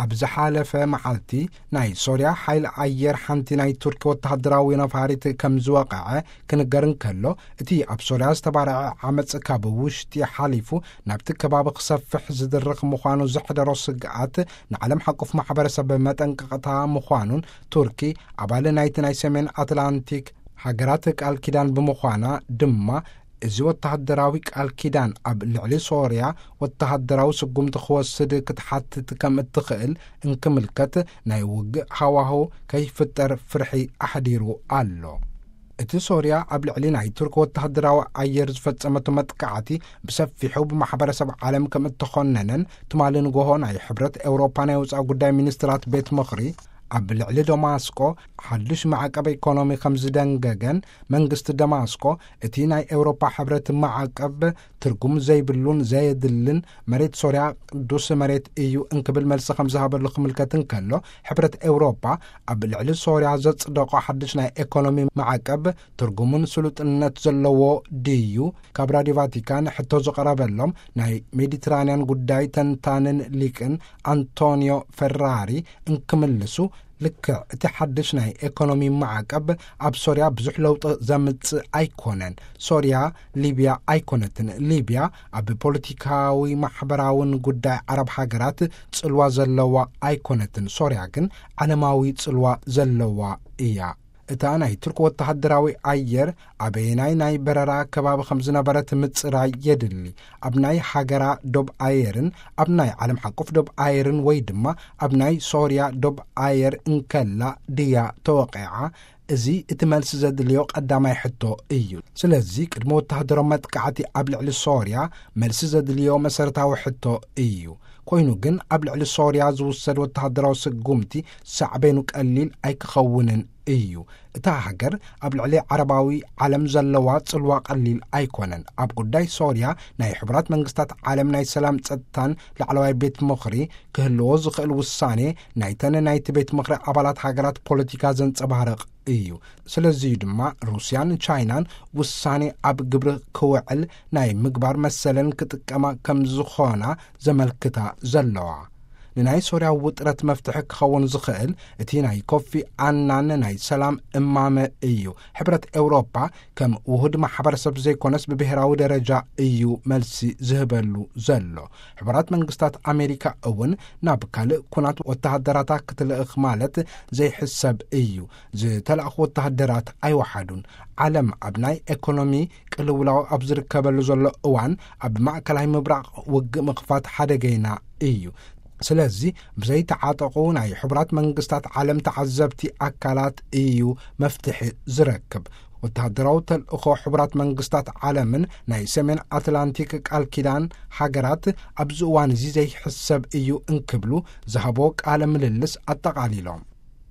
ኣብ ዝሓለፈ መዓልቲ ናይ ሶርያ ሓይሊ ኣየር ሓንቲ ናይ ቱርኪ ወተሃደራዊ ነፋሪት ከም ዝወቕዐ ክንገር እንከሎ፣ እቲ ኣብ ሶርያ ዝተባርዐ ዓመጽ ካብ ውሽጢ ሓሊፉ ናብቲ ከባቢ ክሰፍሕ ዝድርኽ ምዃኑ ዘሕደሮ ስግኣት ንዓለም ሓቁፍ ማሕበረሰብ መጠንቀቕታ ምዃኑን፣ ቱርኪ ኣባል ናይቲ ናይ ሰሜን ኣትላንቲክ ሃገራት ቃል ኪዳን ብምዃና ድማ፣ እዚ ወተሃደራዊ ቃል ኪዳን ኣብ ልዕሊ ሶርያ ወተሃደራዊ ስጉምቲ ክወስድ ክትሓትት ከም እትኽእል እንክምልከት ናይ ውግእ ሃዋህው ከይፍጠር ፍርሒ ኣሕዲሩ ኣሎ። እቲ ሶርያ ኣብ ልዕሊ ናይ ቱርክ ወተሃደራዊ ኣየር ዝፈጸመቶ መጥቃዕቲ ብሰፊሑ ብማሕበረሰብ ዓለም ከም እተኾነነን፣ ትማሊ ንጎሆ ናይ ሕብረት ኤውሮፓ ናይ ወጻኢ ጉዳይ ሚኒስትራት ቤት ምኽሪ ኣብ ልዕሊ ደማስቆ ሓድሽ ማዕቀብ ኢኮኖሚ ከም ዝደንገገን፣ መንግስቲ ደማስቆ እቲ ናይ ኤውሮፓ ሕብረት ማዕቀብ ትርጉም ዘይብሉን ዘየድልን፣ መሬት ሶርያ ቅዱስ መሬት እዩ እንክብል መልሲ ከም ዝሃበሉ ክምልከት እንከሎ፣ ሕብረት ኤውሮፓ ኣብ ልዕሊ ሶርያ ዘጽደቆ ሓድሽ ናይ ኢኮኖሚ ማዕቀብ ትርጉሙን ስሉጥነት ዘለዎ ድዩ? ካብ ራዲዮ ቫቲካን ሕቶ ዝቐረበሎም ናይ ሜዲትራንያን ጉዳይ ተንታንን ሊቅን ኣንቶኒዮ ፈራሪ እንክምልሱ፣ ልክዕ እቲ ሓድሽ ናይ ኢኮኖሚ ማዕቀብ ኣብ ሶርያ ብዙሕ ለውጢ ዘምጽእ ኣይኮነን። ሶርያ ሊብያ ኣይኮነትን። ሊብያ ኣብ ፖለቲካዊ ማሕበራውን ጉዳይ ዓረብ ሃገራት ጽልዋ ዘለዋ ኣይኮነትን። ሶርያ ግን ዓለማዊ ጽልዋ ዘለዋ እያ። እታ ናይ ቱርክ ወተሃደራዊ ኣየር ኣበየናይ ናይ በረራ ከባቢ ከም ዝነበረት ምጽራይ የድሊ። ኣብ ናይ ሃገራ ዶብ ኣየርን ኣብ ናይ ዓለም ሓቁፍ ዶብ ኣየርን ወይ ድማ ኣብ ናይ ሶርያ ዶብ ኣየር እንከላ ድያ ተወቂዓ? እዚ እቲ መልሲ ዘድልዮ ቀዳማይ ሕቶ እዩ። ስለዚ ቅድሚ ወተሃደራዊ መጥቃዕቲ ኣብ ልዕሊ ሶርያ መልሲ ዘድልዮ መሰረታዊ ሕቶ እዩ። ኮይኑ ግን ኣብ ልዕሊ ሶርያ ዝውሰድ ወተሃደራዊ ስጉምቲ ሳዕቤኑ ቀሊል ኣይክኸውንን እዩ። እታ ሃገር ኣብ ልዕሊ ዓረባዊ ዓለም ዘለዋ ጽልዋ ቀሊል ኣይኮነን። ኣብ ጉዳይ ሶርያ ናይ ሕቡራት መንግስታት ዓለም ናይ ሰላም ጸጥታን ላዕለዋይ ቤት ምኽሪ ክህልዎ ዝኽእል ውሳኔ ናይተን ናይቲ ቤት ምኽሪ ኣባላት ሃገራት ፖለቲካ ዘንጸባርቕ እዩ። ስለዚዩ ድማ ሩስያን ቻይናን ውሳኔ ኣብ ግብሪ ክውዕል ናይ ምግባር መሰለን ክጥቀማ ከም ዝኾና ዘመልክታ ዘለዋ። ንናይ ሶርያ ውጥረት መፍትሒ ክኸውን ዝኽእል እቲ ናይ ኮፊ ኣናን ናይ ሰላም እማመ እዩ። ሕብረት ኤውሮፓ ከም ውሁድ ማሕበረሰብ ዘይኮነስ ብብሔራዊ ደረጃ እዩ መልሲ ዝህበሉ ዘሎ። ሕቡራት መንግስታት ኣሜሪካ እውን ናብ ካልእ ኩናት ወተሃደራታ ክትልእኽ ማለት ዘይሕሰብ እዩ። ዝተላእኹ ወተሃደራት ኣይወሓዱን። ዓለም ኣብ ናይ ኤኮኖሚ ቅልውላው ኣብ ዝርከበሉ ዘሎ እዋን ኣብ ማእከላይ ምብራቕ ውግእ ምኽፋት ሓደገይና እዩ። ስለዚ ብዘይተዓጠቑ ናይ ሕቡራት መንግስታት ዓለም ተዓዘብቲ ኣካላት እዩ መፍትሒ ዝረክብ። ወተሃደራዊ ተልእኾ ሕቡራት መንግስታት ዓለምን ናይ ሰሜን ኣትላንቲክ ቃል ኪዳን ሃገራት ኣብዚ እዋን እዚ ዘይሕሰብ እዩ እንክብሉ ዝሃቦ ቃለ ምልልስ ኣጠቓሊሎም።